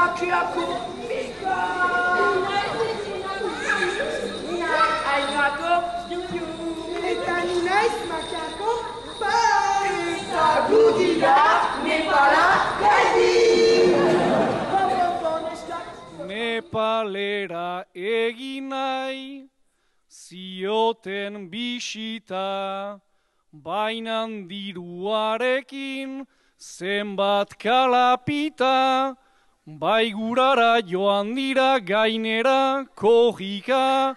makiako mika. Ainako juju. Eta ni naiz makiako pa. Eta gudira Nepala gaidi. Nepalera egin nahi, zioten bisita, bainan diruarekin zenbat kalapita, baigurara joan dira gainera kojika,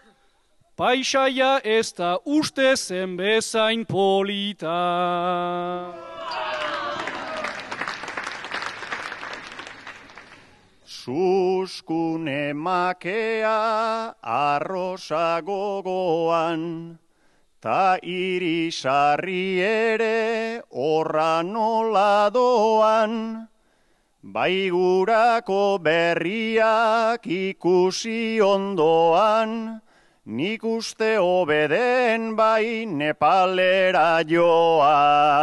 paisaia ez da uste zen bezain polita. Suskune makea arrosa gogoan, ta irisarri ere horra nola doan, baigurako berriak ikusi ondoan, nik uste hobeden bai Nepalera joan.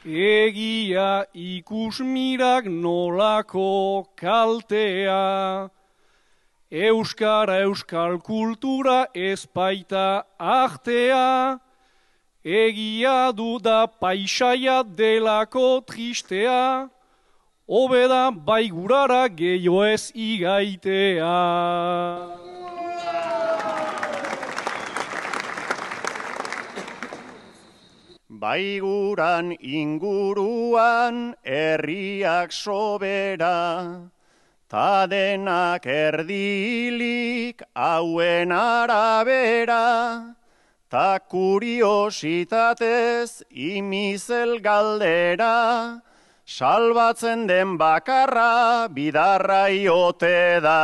Egia ikusmirak nolako kaltea, euskara euskal kultura ezpaita artea, egia duda paisaia delako tristea, hobeda baigurara gehiago ez igaitea. Baiguran inguruan herriak sobera, ta denak erdilik hauen arabera, ta kuriositatez imizel galdera, salbatzen den bakarra bidarra iote da.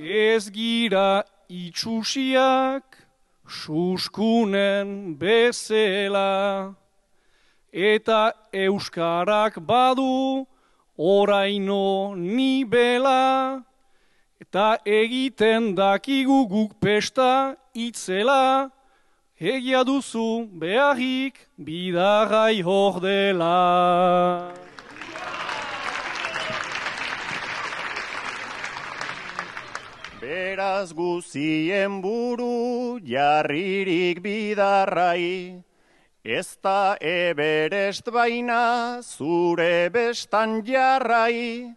Ez gira itxusiak suskunen bezela, eta euskarak badu oraino nibela, eta egiten dakigu guk pesta itzela, egia duzu beharrik bidarrai hor dela. Beraz guzien buru jarririk bidarrai, ez da Everest baina zure bestan jarrai,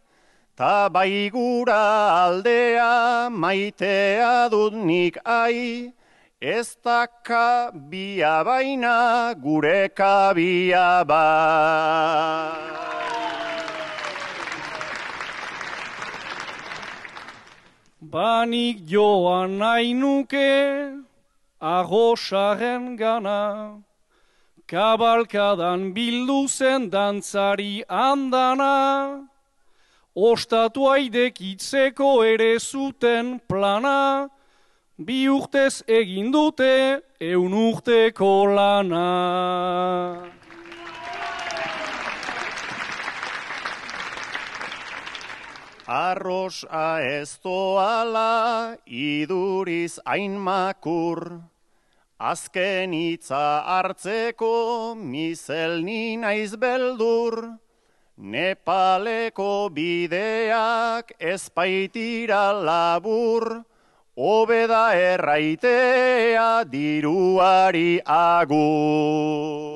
ta baigura aldea maitea dut nik ai, ez da kabia baina gure kabia ba. Banik joan nahi nuke arrosaren gana, kabalkadan bildu zen dantzari andana, ostatu aidekitzeko ere zuten plana, bi urtez egin dute 100 urteko lana. Arrosa ez doala iduriz hain makur, azken hitza hartzeko mizel ni naiz beldur, Nepaleko bideak ez baitira labur, hobeda erraitea diruari agur.